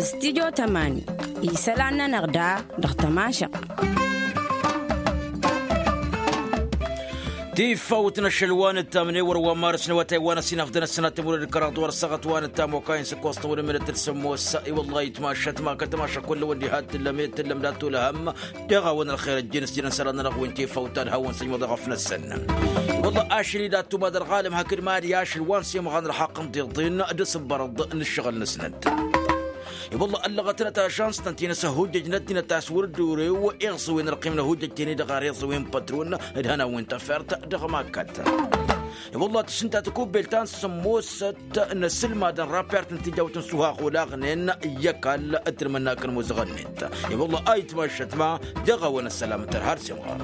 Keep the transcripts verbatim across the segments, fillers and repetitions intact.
Studyo tămani isălan-nănăɣ da dăɣ-tămašăɣt. Tifawt n-ašăl wa n-ǝttamne wăr-wa n-marǝs n-awătay wa n-ăsinăfḍăn ăssinat timurăd kăraḍ wăr-săɣăt wa n-ǝttam okayăn s-ǝkkoẓ tăwădămănăt d-sămmos. I-wăllah itmašăt ma kăt-tămašăk kull-wăn diha t-tǝllăm e d-tǝllăm dat-tulăhăm. Dăɣ-a-wen ălxer ăjjeen s-jănăn isălan-nănăɣ wi n-tifawt ad-hawăn-săjmăḍ eɣăf-năsăn. I-wăllah ašăl-i dat-tumadăl ɣalăm hakd mad-i ašăl wa n-semɣa n-ălxaqq n-tiḍin d-asǝbbărăḍ n-ǝššăɣǝl-năsnăt. I-wălla ăllăɣătnăt ažans-tăn ti n-asăhhujjăj n-ăddinăt a-s wăr dd-urew iẓǝwen ălqim n-ahujjăj-ten-i-dăɣ ar iẓǝwen pătron d-hănan wi n-tafert dăɣ-makkăt. I-wălla tǝšǝnta tăkubbelt ta n-sămmosăt n-asǝlmad n-rapert n-tijawt n-suhaɣ olaɣnen i-ăkall d-tǝlmǝnnak n-imuzăɣăn-net. I-wălla a itmašăt ma dăɣ-a-wen ăssălam tărha d-simɣar.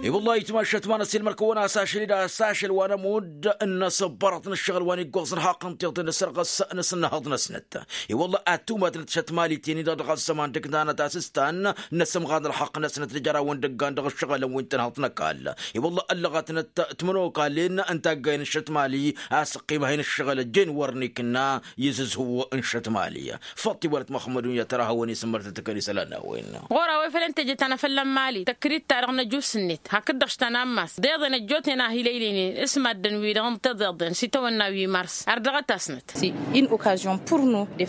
I-wălla a itmašăt ma n-ăsilmăr-kăwăn a-s ašăl-i d-a-s ašăl wa n-ămudd n-asǝbbărăḍ n-ǝššăɣǝl wa n-iggoẓ n-haqqăn tiḍen n-asărɣăs n-asǝnnăhăḍ-năsnăt. I-wălla ad-tumadnăt šătmali-ten-i-dăɣ dăɣ-ăzzăman dăgg-tanăt a-s s-tan n-asǝmɣan ălxaqq-năsnăt d-jărawăn dăggan dăɣ-ǝššăɣǝlăn wi n-tǝnhăḍt n-ăkall. I-wălla ăllăɣătnăt timănokalin n-taggayen n-šătmali a-s ăqqimăhăy n-ǝššăɣǝl ăjjeen wăr n-ikǝnna izǝzhǝw n-šătmali. Făṭṭi wăr-ătmăxmădun i-ad-tărahăwăn isǝmmărtăt ăkall isălan n-a-wen. Ɣur-a-wa ifăl ǝnta jet anăfălla n-mali tăkrit-ta-dăɣ n-ejus-net hakd-dăɣ s-tanammas d-iḍen ăjjootnen a hi-lăylăynen s-maddǝn-wi-dăɣ n-tiḍeḍen s-itawănna wi mars ar dăɣ-ătasnăt.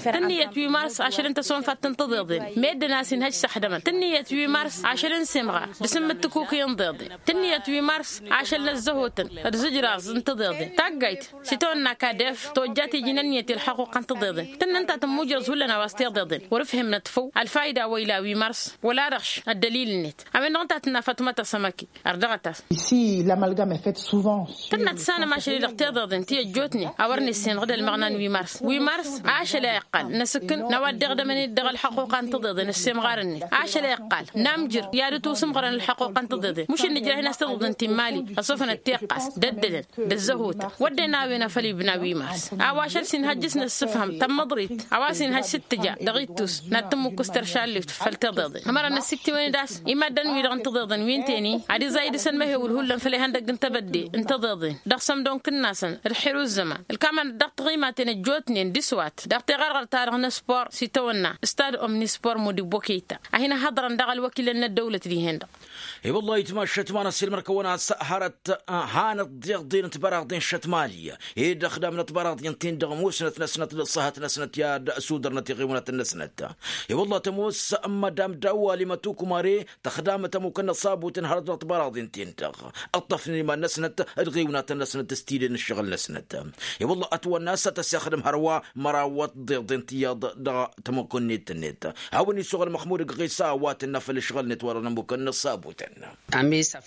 Tǝnniyăt wi mars ašăl n-tăsonfat n-tiḍeḍen meddǝn a-s inhăj s-ăxdămăn tǝnniyăt wi mars ašăl n-semɣar d-sǝmmǝt tǝkuki n-tiḍeḍen tǝnniyăt wi mars ašăl n-ăzzăhotăn d-zǝjraẓ n-tiḍeḍen taggayt s-itawănna kadef tojjat iji n-ănniyăt i-ălxăquq n-tiḍeḍen tǝnnǝn ta tǝmmujrăẓ hullan a-wa s-tiḍeḍen wăr-ǝfhǝmnăt făw ălfayda wa ila wi mars wăla-dăɣ š-ăddălil-net. A-wen-dăɣ ǝnta a tǝnna fatma tăsămăki ar dăɣ-ătas. Ici l'amalgame est faite souvent. Tǝnna tǝssanăm ašăl-i-dăɣ tiḍeḍen ti ăjjootnen a wăr nessenɣǝd ălmăɣna n-wi mars wi mars ašăl a iqqal n-asǝkkǝn n-a-wa dd-iɣdămăn-dd dăɣ-ălxăquqa n-tiḍeḍen ăssemɣar-net ašăl a iqqal n-amjǝr i-ad-ătusǝmɣărăn ălxăquqa n-tiḍeḍen mušǝn nǝjrah-in a-s tiḍeḍen ti n-mali ăṣufănăt tiqqas d-ăddălăn d-ăzzăhotăn wădden a-wen a făl ibna wi mars a-wa ašăl s-inhăjj s-năssǝfhăm tămmăḍrit a-wa s-inhăjj s-ǝttǝja dăɣ-ittus n-ad-tǝmmǝkkǝs teršallift făll-tiḍeḍen ămăra n-ăssiktǝwăn-dd a-s i-maddăn-wi-dăɣ n-tiḍeḍen wi ǝnta-en-i ad-iẓay dăɣ-săn mehewǝl hullan făll-ihăndăgg n-tebădde n-tiḍeḍen dăɣ-sămdonk-tăn-nasăn d-xir uzzăman ǝlkamăn-dd dăɣ-tiɣimaten ăjjootnen d-iswat dăɣ-teɣărɣărt-ta-dăɣ n-ăspor s-itawănna stad omnispor mudibbo keyta a hin-ăhhăḍrăn dăɣ-ălwăkilăn n-ăddăwlăt dihen-dăɣ. I-wăllah itmašăt ma n-ăssiilmăr-kăwăn a-s hărăt hanăt-dd iḍen n-tibăraḍen šăt mali ed ăxdamnăt tibăraḍen-ten-dăɣ musnăt-năsnăt d-ăṣṣăhăt-năsnăt i-ad-sudărnăt iɣiwănăt-năsnăt. I-wăllah tămoos n-madam dawali mătukumare tăxdamăt ămukăn n-ăṣṣabut n-hărăt dăɣ-tibăraḍen-ten-dăɣ ǝṭṭăfnen iman-năsnăt d-iɣiwănăt-năsnăt s-tiden n-ǝššăɣǝl-năsnăt. I-wăllah ătwănna a-s tăsexdăm hărwa mărawăt d-iḍen tiyyăḍ dăɣ-tămukǝnnet-net. Hawăn-isuɣǝl măxmud ǝggăɣisa a-wa tǝnna făll-ǝšɣǝl-net wa dăɣ-nămukăn n-ăṣṣabutăn.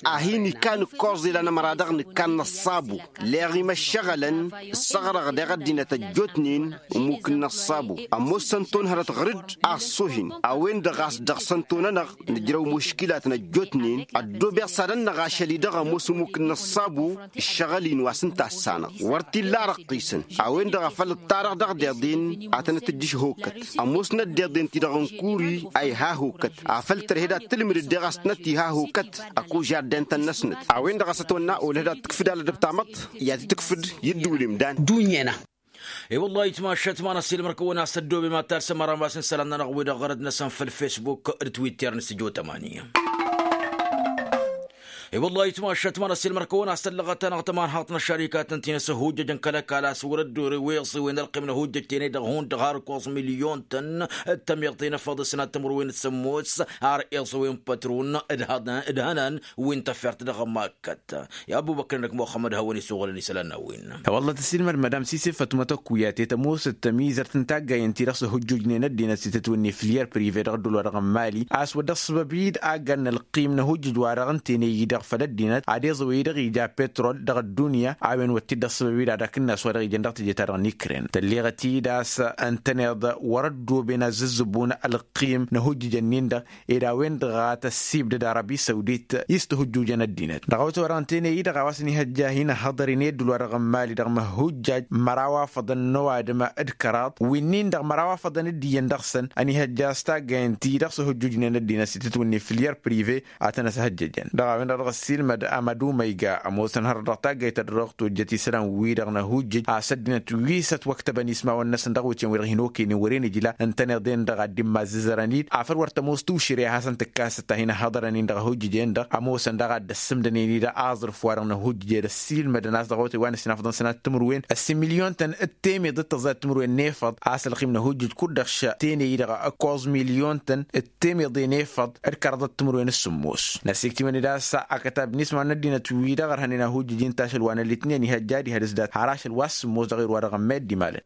A hin-ikkan ǝkkoẓ ilan ămăra dăɣ-nǝkkan n-ăṣṣabu leɣ imăššăɣălăn ǝssăɣrăɣ deɣ ăddinăt ăjjootnen. Ămmuk n-ăṣṣabu ămoosăn tunhărăt ɣǝr-dd a ăṣṣuhin a-wen-dăɣ a-s dăɣ-săn tunănăɣ nǝjrăw muškilatăn ăjjootnen. Ăddoobeɣ s-ad-ănnăɣ ašăl-i-dăɣ ămoos ămmuk n-ăṣṣabu ǝššăɣǝl-in wa s-ǝnta a ăssanăɣ wăr t-illa arăqqisăn. A-wen-dăɣ a făl ǝṭṭarăɣ dăɣ-deḍen ad-tănăt-tǝjjǝš hokăt ămoosnăt deḍen-ti-dăɣ n-kuri a iha hokăt afăl tărhed ad-tǝlmǝdăd deɣ a-s tănăt-iha hokăt. Ăkoj i-ad-dentăn-năsnăt a-wen-dăɣ a-s ătwănna olăhăd ad-tǝkfǝd alădăb tamăḍt i-ad-tǝkfǝd i-ǝddǝwǝl imdan. Dunyăna. I-wăllah itmašăt ma n-ăssiilmăr-kăwăn a-s ăddoobe ma talsăm ărămas n-isălan-nănăɣ wi-dăɣ ɣărăd-năsăn făll-fesbuk d-twitter n-s tijo tămani. I-wăllah itmašăt ma n-ăssiilmăr-kăwăn a-s tăllăɣăt-anăɣ tămanhaḍt n-ăššărikatăn ti n-asăhujjăjăn kăl-ăkall a-s wăr-ăddorew iẓǝwen ălqim n-ahujjăj-ten-i-dăɣ hundăɣ har ǝkkoẓ milyon-tăn d-tamyaḍt i-inăfăḍ s-inat timǝrwen d-sămmos ar iẓǝwen pătron d-hănan wi n-tafert dăɣ-ămmak. Kăt i-ăbubăkr-năk muxămmăd hawăn-isuɣǝlăn isălan n-a-wen. Wălla tǝssilmăd madam sise fatmăt ăkku i-ad-tetămoosăt tămizărt n-taggayen-ti-dăɣ s-ăhujjujnen ăddinăt s-itǝtwǝnne fǝlyer prive dăɣ-ăddul-wa-dăɣ n-mali a-s wăr dăɣ-sǝbăb-dd aggan n-ălqim n-ahujjăj-wa-dăɣ ǝnta-en-i-dăɣ făll-ăddinăt ad-iẓǝwăy dăɣ-ija petrol dăɣ-ăddunya. A-wen wăr t-dd-ăṣṣăbăb-dd ad-akǝnnas wa dăɣ-ijăn dăɣ-teje-ta-dăɣ n-ikren tălleɣăt-dd a-s ǝntăneḍ wăr-ăddooben ăzzǝzzǝbun ălqim n-ahujjăj-ǝnnin-dăɣ ed a-wen-dăɣ a tăssibdăd arabi sawdit i-s tihujjujăn ăddinăt dăɣ-awătay wa dăɣ-ǝnta-en-i-dăɣ a-wa s-ănihăjja a hin-ăhhăḍăr-in i-ăddul wa dăɣ-n mali dăɣ-măhhujjaj măraw afăḍăn n-ăwadǝm d-kăraḍ wi-nin-dăɣ măraw afăḍăn d-iyyăn dăɣ-săn ănihăjja a-s taggayen-ti-dăɣ s-ăhujjujnen ăddinăt s-itǝtwǝnni fǝlyer prive a tăn-ăshăjjăjăn dăɣ-a-wen-dăɣ. Ăssiilmăd amădu ma iga ămoosăn hărăt dăɣ-taggayt ta dăɣ-tojjăt isălan-wi-dăɣ n-ahujjǝj a-s ăddinăt wi s-ătwăktăbăn ismawăn-năsăn dăɣ-awǝtyan-wi-dăɣ hin-okăynen wăren ijla ǝntăneḍ-en-dăɣ ad-dd-immazǝzărăn-dd afăl wăr tămoos tušǝre a hasăn-tǝkkasăt ta hin-ăhhăḍărăn-in dăɣ-ahujjǝj-en-dăɣ ămoosăn daɣ ad-dd-ăssǝmdănen-dd aẓrǝf-wa-dăɣ n-ahujjǝj ed ăssiilmădăn a-s dăɣ-awătay wa n-ăssinafăḍăn sănat timǝrwen ăssin milyon-tăn d-temeḍe d-tăẓẓayăt timǝrwen n-efăḍ a-s ălxim n-ahujjǝj kud-dăɣ šăteney-i-dăɣ ǝkkoẓ milyon-tăn d-temeḍe n-efăḍ d-kăraḍăt timǝrwen s-sǝmmos. Năsiktǝmăn-dd a-s akătab n-isma n-ăddinăt-wi-dăɣ ărhănen ahujjǝj-in-t ašăl wa n-ălitnen ihăjja ad-ihădǝs dat har ašăl wa s-sǝmmos dăɣ-irwa-dăɣ ămmed d-imalăn.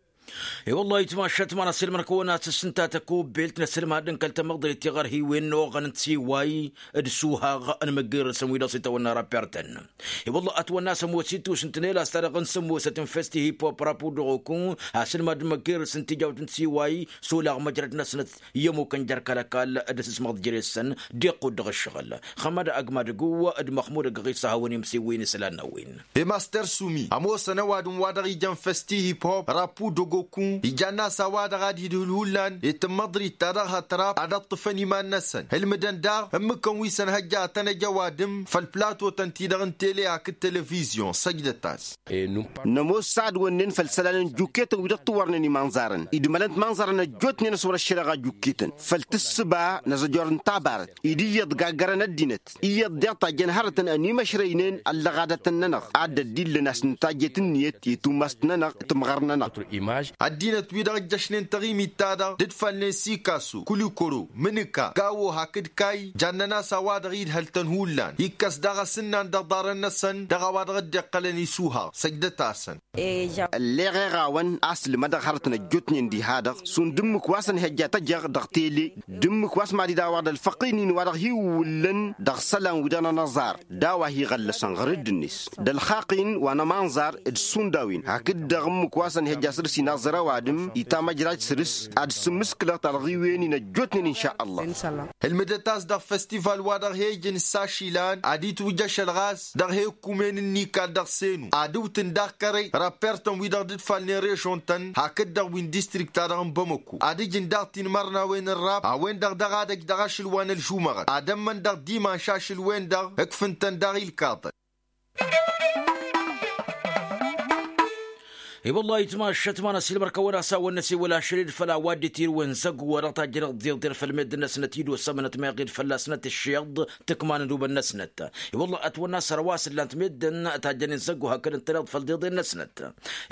I-wălla-hi tmašat ma n-asǝlmăr-kăwăn ad-tǝssǝnta tăkobelt n-asǝlmad n-kăl-tamăḍrit tiɣărhiwen n-oɣăn n-tiway d-suhaɣ n-imǝggirǝsăn wi dăɣ-s itawănna rapertăn. I-wălla ătwănna s-ămoos ittus n-tinel a-s ta dăɣ-n sămmosăt n-festi hip-hop rapu dăɣ-okun asǝlmad n-imǝggirǝs n-tijawt n-tiway s-olaɣ măjrăd-năsnăt i-ămukăn jer-kăl-ăkall d-asǝsmăɣ d-jere-săn. D-iqqud dăɣ-ǝššăɣǝl xămăd agmadăgǝw d-măxmud ăgg-ɣisa hawăn-imsewwen isălan n-a-wen. I-master sumi ămoosăn ăwadǝm wa dăɣ-ijăn făsti hip-hop rapu dăgg-okun ijann'-as a-wa-dăɣ ad-hidhǝl hullan i-tǝmmăḍrit ta dăɣ-hătrap ad-ăṭṭǝfăn iman-năsăn ǝlmǝdăn daɣ ǝmmǝkăn wi s-ănhăjja ad-tăn-ăj ăwadǝm făll-plato-tăn-ti-dăɣ n-tele hakd televizyon săjdăt-as. Nămoos s-ad-wănnen făll-isălan n-juketăn wi dăɣ-tiwărnen imanẓarăn idmălăn timanẓarăn ăjjootnen s-wăr-ăššăreɣa juketăn făll-tǝssǝba n-azăjor n-tabarăt ed iyyăḍ gaggărăn ăddinăt iyyăḍ deɣ tajjăn hărătăn ănimăšrăynen ăllăɣadătăn-nănăɣ ad-dd-illăn a-s nǝtajjet ǝnniyăt i-tumast-nănăɣ timɣăr-nănăɣ. Ăddinăt-wi-dăɣ ǝjjăšnen taɣimit-ta-dăɣ d-ǝdfalnen sikaso kulikoro mǝnǝka gawo hakd kay jannen-as a-wa-dăɣ idhăl-tăn hullan ikkăs daɣ asǝnnan d-aḍarăn-năsăn dăɣ-a-wa-dăɣ dd-iqqălăn isuhaɣ săjdăt-asăn. Ălleɣeɣ-awăn a-s ǝlmădăɣ hărătăn ăjjootnen diha-dăɣ šund ǝmmǝk wa s-ănhăjja tăjăɣ dăɣ-tele d-ǝmmǝk wa s-mad-dd-a-wa-dăɣ ălfăqqin-in wa dăɣ-hi-iwwǝllăn dăɣ-isălan-wi-dăɣ n-anăẓar d-a-wa hi-iɣăllăsăn ɣăr dd-net d-ălxaqq-in wa n-ămanẓar d-šund a-wen hakd-dăɣ ǝmmǝk wa s-ănhăjja săr-s inaẓăr ăwadǝm i-tamăjrajt săr-s ad-sǝmmǝskǝlăɣ talɣiwen-in ăjjootnen inša ăllah. Ǝlmǝdăt-as dăɣ-festival wa dăɣ-he-ijăn s-ašilan ad-itwǝj ašăl ɣas dăɣ-he-ǝkkumen n-ikal dăɣ-senu ad-ǝwtǝn daɣ kărăy rapper-tăn wi-dăɣ dd-ǝdfalnen režon-tăn hakd-dăɣ wi n-distrikt-ta-dăɣ n-bamăko ad-ǝjǝn daɣ tinmărnawen n-rap a-wen-dăɣ daɣ ad-ăj dăɣ-ašǝl wa n-ălžumăɣăt ad-ămmăn dăɣ-dimanš ašǝl-wen-dăɣ ǝkfǝn-tăn daɣ ilkaḍăn. I-wăllah itmašăt ma n-asilmăr-kăwăn-asawăn n-asewăl ašăl-dd făll-a-wa dd-itirǝwăn zăgg wa dăɣ-tajjăneḍ d-iḍen făll-meddǝn-năsnăt idosa ămănăt meɣ-dd fălla-snăt ǝššeḍ tǝkma n-ădubăn-năsnăt. I-wăllah ătwănna săr-a-wa s-ǝllan-t meddǝn tajjănen zăgg wa hakd ǝntăneḍ făll-deḍen-năsnăt.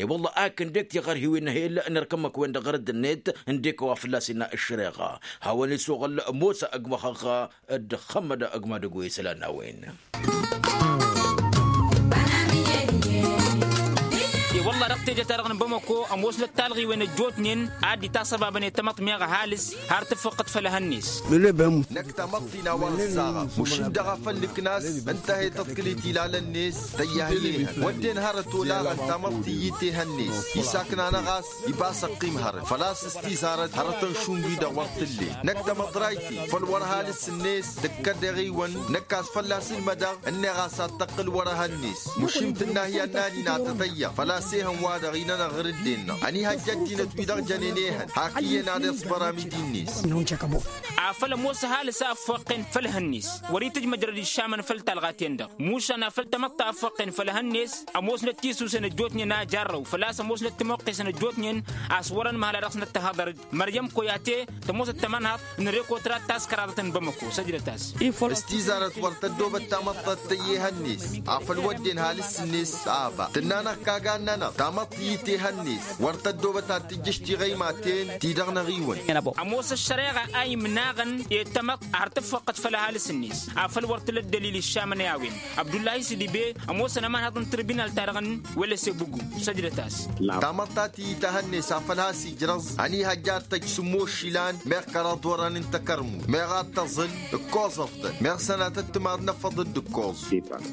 I-wăllah akǝn dek tiɣărhiwen n-ehel n-erk ǝmmǝk-wen-dăɣ ɣăr dd-net ǝndek a-wa fălla-s innă ǝššăreɣa hawăn-isuɣǝl mosa ăgg măxăɣ d-xămmăd ăgg madăgg wa isălan n-a-wen. I-wălla dăɣ-teje-ta-dăɣ n-bamăko ămoosnăt talɣiwen ăjjootnen ad-dd-itasăbabăn i-tamăḍt meɣ ăhalǝs har tǝffăqqăt făll-ehăn-net. Năkk tamăḍt-in a-wa ăẓẓaɣăɣ mušǝn-dăɣ a făl nǝknas ǝnta a he-tăḍkǝl i-tilalăn-net tăyyahyehăn wădden hărăt olaɣăn tamăḍt iyyǝt ehăn-net isaknan ɣas iba a-s ăqqim hărăt făl-a-s s-tizarăt hărătăn šund-wi-dăɣ wăr t-ǝllen năkk tamăḍrayt-in făl wăr ăhalǝs-net tǝkkăd eɣiwăn năkk a-s fălla-s ǝlmădăɣ ǝnneɣ a-s ad-tăqqǝl wăr-ehăn-net mušim tǝnna hi-annan-in ad-tăt-ăyyaɣ făl-a-s ehăn-wa-dăɣ inănăɣ ɣǝr-dd-ennăɣ ănihăjja ăddinăt-wi-dăɣ jănen ehăn hak iyyăn ad-iẓbăr amidi-net. Afăl ămoos ăhalǝs a ăffoqqen făll-ehăn-net wăr-itǝjj măjrăd iššamăn făll-talɣa-ten-dăɣ mušan afăl tamăḍt a ăffoqqen făll-ehăn-net ămoosnăt tisusen ăjjootnen a jarrăw făl-a-s ămoosnăt timoqqesăn ăjjootnen a-s wăr-ănmăhăl a dăɣ-snăt tăhăḍăr-dd măryăm koyate tămoos ăttămănhăḍ n-rekotra ta s-kăraḍăt n-bamăko săjdăt-as. Ăstizarăt wăr tăddoobăt tamăḍt ad-tăyy ehăn-net afăl wădden halǝs-net a ăba tǝnna-năɣ kagan-nănăɣ tamăḍt iyyǝt ehăn-net wăr tăddoobăt ad-tǝjjǝš tiɣăymaten-ti-dăɣ n-eɣiwăn. Ămoos ăššăreɣa a imnaɣăn i-tamăḍt har tǝffăqqăt făll-ăhalǝs-net afăl wăr tǝla ăddălil iššamăn i-a-wen. Abdullahi sidibe ămoosăn ămanhăḍ n-tǝrbinal-ta-dăɣ n-wălăse bugu săjdăt-as. Tamăḍt ta tǝyyǝt ehăn-net afăl has-ijrăẓ ănihăjja ad-tăj sǝmmos išilan meɣ kăraḍ orăn n-takărmut meɣ ad-tăẓǝl ǝkkoẓăf-tăn meɣ sănatăt timaḍ n-efăḍ dd-ǝkkoẓ.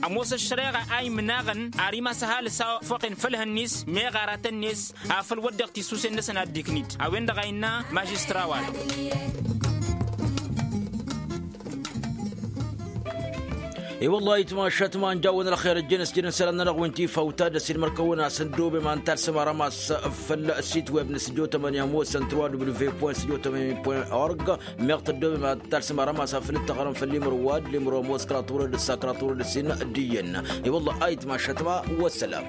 Ămoos ăššăreɣa a imnaɣăn ar imas ăhalǝs a ăffoqen făll-ehăn-net meɣ aratăn-net afăl wădden tisusen-năsăn ad-dd-iknǝd a-wen-dăɣ a innă mažistra-wa-dăɣ. I-wălla ayǝtma ašătma ănjawăn ălxer ăjjeen ăsjădăn isălan-nănăɣ wi n-tifawt ad-ăsidmăr-kăwăn-asăn dub i-ma n-talsăm arămas făll-sit web n-sǝdjo tămănǝya ămoosăn turwa w v point sǝdjo tămănǝya point org. Meɣ tăddob i-ma n-talsăm arămas afăl dd-tăɣrăm făll-imrǝwad limrǝw ămoos kăraḍ turăd ǝssa kăraḍ turăd ǝssin d-iyyăn. I-wălla ayǝtma ašătma. Wăssălam.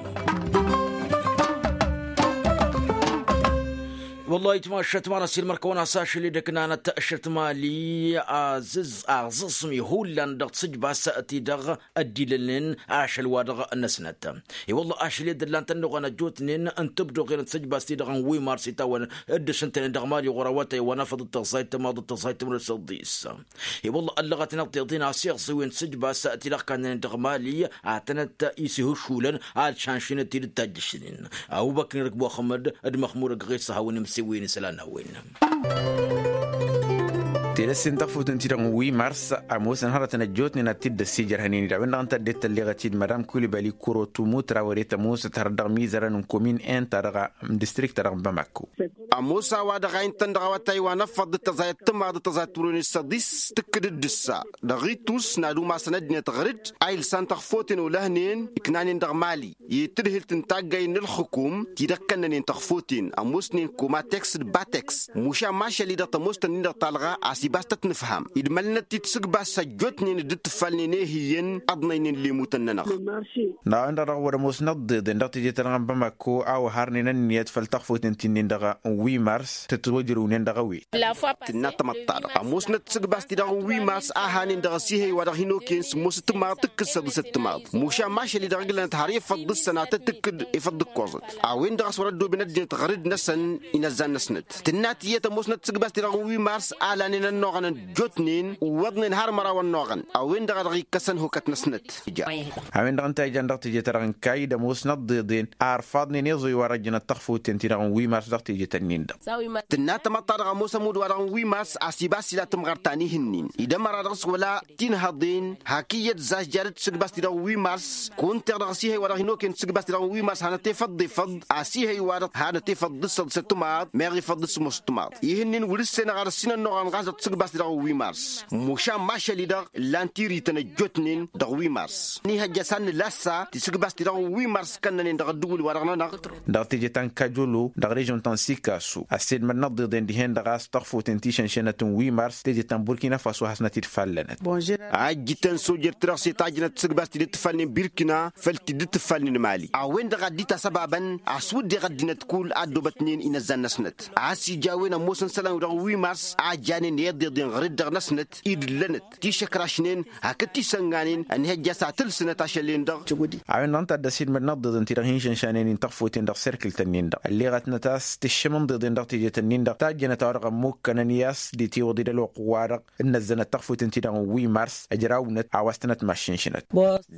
Wăllah itmašăt ma n-asilmăr kăwăn-as ašăl edăknanăt ašăt mali. Aẓẓǝẓmi hullan dăɣ-tisǝjbas-ti-dăɣ ăddilălnen ašăl-wa-dăɣ-năsnăt. I-wăllah ašăl edăllan tănnuɣăn ăjjootnen n-tǝbduɣen d-tisǝjbas-ti-dăɣ n-wi mars itawăn dd-ǝšǝntănen dăɣ-mali ɣur-awătay wa n-afăḍ d-tăẓẓayt tămaḍ d-tăẓẓayt tămrăs ăḍḍis. I-wălla ăllăɣăt n-aḍḍeḍin asiɣẓǝwen tisǝjbas-ti-dăɣ kannănen dăɣ-mali. Ad-tănăt-isihǝššulăn ad-šanšinăt-dd tajjǝšnen. Awubăknirăk muxămmăd d-măxmurăk ɣisa hawăn-imsǝwwen isălan-a-wen. Telăssin tăɣfutǝn-ti-dăɣ n-wi mars ămoosăn hărătăn ăjjootnen ad-t-dd-ăssijărhănen-dd a-wen-dăɣ ǝnta ăddinăt tălleɣăt-dd madam kulibali kurotu mutra wăr-e tămoosăt hărăt dăɣ-mizărăn n-komin en ta dăɣ-distrikt-ta-dăɣ n-bamako. Ămoos a-wa dăɣ-a intăn dăɣ-awătay wa n-ăffăḍ d-tăẓayăt timaḍ d-tăẓayăt timǝrwen s-săḍis tǝkkǝd-dd ǝssa. Dăɣ-itus n-ad-umasăn ăddinăt ɣăr-dd a ilsan tăɣfoten olăhnen ǝknanen dăɣ-mali i-tǝdhǝlt n-taggay n-ǝlxǝkum ti-dăɣ kănnănen tăɣfoten ămoosnen komateks d-bateks. Mušan mašăl-i-dăɣ tămoos-tăn-in-dăɣ talɣa a-s ibas tăt-nǝfham idmălnăt-t-dd tisǝgbas ăjjootnen dd-tǝffalnen ehǝyyăn ăḍnăynen lemutăn-nănăɣ. N-a-wen-dăɣ dăɣ-wăr-ămoosnăt ḍeḍen dăɣ-teje-ta-dăɣ n-bamako a-wa harnen ănniyăt făll-taɣfoten ti-nin-dăɣ n-wi mars tătwăjrǝwnen dăɣ-a-wen. Tǝnna tamăḍt-ta-dăɣ ămoosnăt tisǝgbas-ti-dăɣ n-wi mars a hanen dăɣ-asihăy wa dăɣ-hin-okăyăn sǝmmos timaḍ tǝkkǝd săḍǝsăt timaḍ. Mušan mašăl-i-dăɣ ǝglănăt har efăḍ d-ǝssănatăt tǝkkǝd efăḍ d-ǝkkoẓăt. A-wen-dăɣ a-s wăr-ăddooben ăddinăt ɣăr-dd-năsăn inăzzan-năsnăt. Tǝnna tiyyăt ămoosnăt tisǝgbas-ti-dăɣ n-wi mars a lanen ănnuɣăn ăjjootnen wăḍnen har măraw ănnuɣăn a-wen-dăɣ a dăɣ-ikkăsăn hokăt-năsnăt. A-wen-dăɣ ǝnta a ijan dăɣ-teje-ta-dăɣ n-kayy d-ămoosnăt ḍeḍen a ărfaḍnen iẓoy wa răjjănăt tăɣfuten-ti-dăɣ n-wi mars dăɣ-teje-tăn-in-dăɣ. Tǝnna tamăḍt-ta-dăɣ ămoos ămudd-wa-dăɣ n-wi mars a-s ibas ila tǝmɣărt ta n-ihǝnnin id-ămăra dăɣ-s wăla tinhăḍen hak iyyăt zažjadăt tisǝgbas-ti-dăɣ n-wi mars. Kunteɣ dăɣ-asihăy wa dăɣ-hin-okăyăn tisǝgbas-ti-dăɣ n-wi mars hanăt-efăḍ d-efăḍ asihăy wa-dăɣ hanăt-efăḍ d-ǝssăḍ s-ăttǝmaḍ meɣ efăḍ d-ǝssǝmos ăttǝmaḍ. Ihǝnnin wăr-ǝssenăɣ ad-ăssinănnuɣăn ɣas dăɣ-tisǝgbas-ti-dăɣ n-wi mars. Mušan mašăl-i-dăɣ ǝllan tirǝytăn ăjjootnen dăɣ-wi mars. Nihăjja s-ad-nǝla assa tisǝgbas-ti-dăɣ n-wi mars kănnănen dăɣ-ăddǝwǝl-wa-dăɣ-nănăɣ. Dăɣ-teje ta n-kajolo dăɣ-režon ta n-sikasu ăssedmăd n-ăḍḍeḍen dihen-dăɣ a-s tăɣfuten ti šănšănăt n-wi mars teje ta n-burkina faso hasnăt-dd fallănăt. Ajjǝtăn sojer-ti-dăɣ s-e tajjănăt tisǝgbas ti dd-tǝfalnen birkina făll-ti dd-tǝfalnen mali a-wen-dăɣ a dd-itas ăbabăn a-s wădden ăddinăt kull a ăddoobătnen inăzzan-năsnăt. A-s ija a-wen ămoosăn isălan-wi-dăɣ n-wi mars a janen i-iḍeḍen ɣăr-dd dăɣ-năsnăt-i d-ǝllănăt ti šăkrašnen hakd tisănganen ănhăjja a-s ad-tǝlsǝnăt ašăl-en-dăɣ. A-wen-dăɣ ǝnta a dd-ăsidmăd n-ăḍḍeḍen-ti-dăɣ hin-šănšanen-in tăɣfuten dăɣ-serkǝlt-nin-dăɣ ălleɣătnăt a-s tǝššǝm n-iḍeḍen dăɣ-tejet-nin-dăɣ tajjănăt a-wa dăɣ-ămmukkănăn i-a-s d-itiwǝḍ-dd ălwăqq-wa-dăɣ ǝnnăzzănăt tăɣfuten-ti-dăɣ n-wi mars ăjrawnăt a-wa s-tănăt-maššǝnšǝnăt.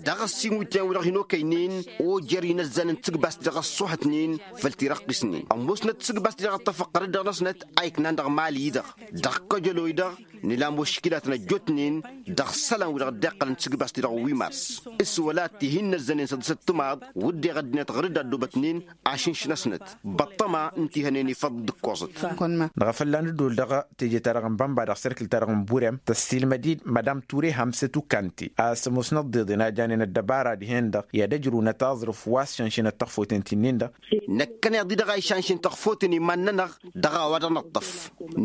Dăɣ-ăssin wi t-yan-wi-dăɣ hin-okăynen ojer inăzzan n-tisǝgbast dăɣ-ăṣṣuhătnen făll-tirăqqisnen ămoosnăt tisǝgbast-i-dăɣ ăṭṭăfăɣ ɣăr-dd dăɣ-năsnăt a iknan dăɣ-mali-i-dăɣ. Dăɣ-kăjălo-i-dăɣ nǝla muškilatăn ăjjootnen dăɣ-isălan-wi-dăɣ dd-iqqălăn tisǝgbast-i-dăɣ n-wi mars s-wăla tihin n-ăzzănen săḍǝsăt timaḍ wǝdden ăddinăt ɣăr-dd a ăddoobătnen ašǝnš-năsnăt. Băṭṭăma n-tihănen ifăḍ d-ǝkkoẓăt. Năɣ afălla n-ǝddol dăɣ-teje-ta-dăɣ n-bănba dăɣ-serkǝl-ta-dăɣ n-burem tăssilmăd-dd madam ture hamsăt ukante a-s ămoosnăt ḍeḍen a janen ăddăbara dihen-dăɣ i-ad-ăjrǝwnăt aẓrǝf wa s-šănšănăt tăɣfoten ti-nin-dăɣ. Năkkăneḍ-i-dăɣ a išanšăn tăɣfoten iman-nănăɣ dăɣ-a-wa dăɣ-năṭṭăf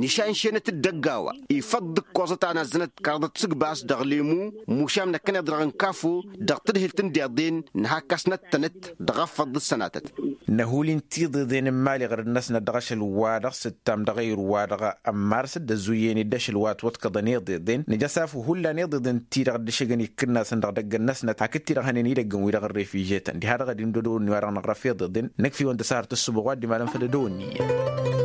nǝšanšenăt-dd ăgg-a-wa ifăḍ d-ǝkkoẓăt a nazzănăt kăraḍăt tisǝgbas dăɣ-lemu. Mušam năkkăneḍ-i-dăɣ n-kafo dăɣ-tǝdhǝlt n-deḍen nǝhakkăsnăt-tănăt dăɣ-efăḍ d-sănatăt. Năhul-in tiḍeḍen n-imali ɣăr-dd-năsnăt dăɣ-ašăl-wa-dăɣ s-ǝttam dăɣ-ayǝr-wa-dăɣ n-mars dd-ăzuyyen-dd ašăl wa ătwăḍkăḍăn iḍeḍen nǝj'-as afǝw hullan iḍeḍen-ti-dăɣ dd-ǝššǝgăn ikkǝnnasăn dăɣ-idăgg-năsnăt hakd-ti-dăɣ hănen idăgg-wi-dăɣ ărrefijătăn diha-dăɣ ad-indădăwănni wa-dăɣ năɣrăf iḍeḍen. Năkf'-iwăn d-asăhăr tǝssǝboɣ wa dd-imalăn făll-ădăwănni iyyăn.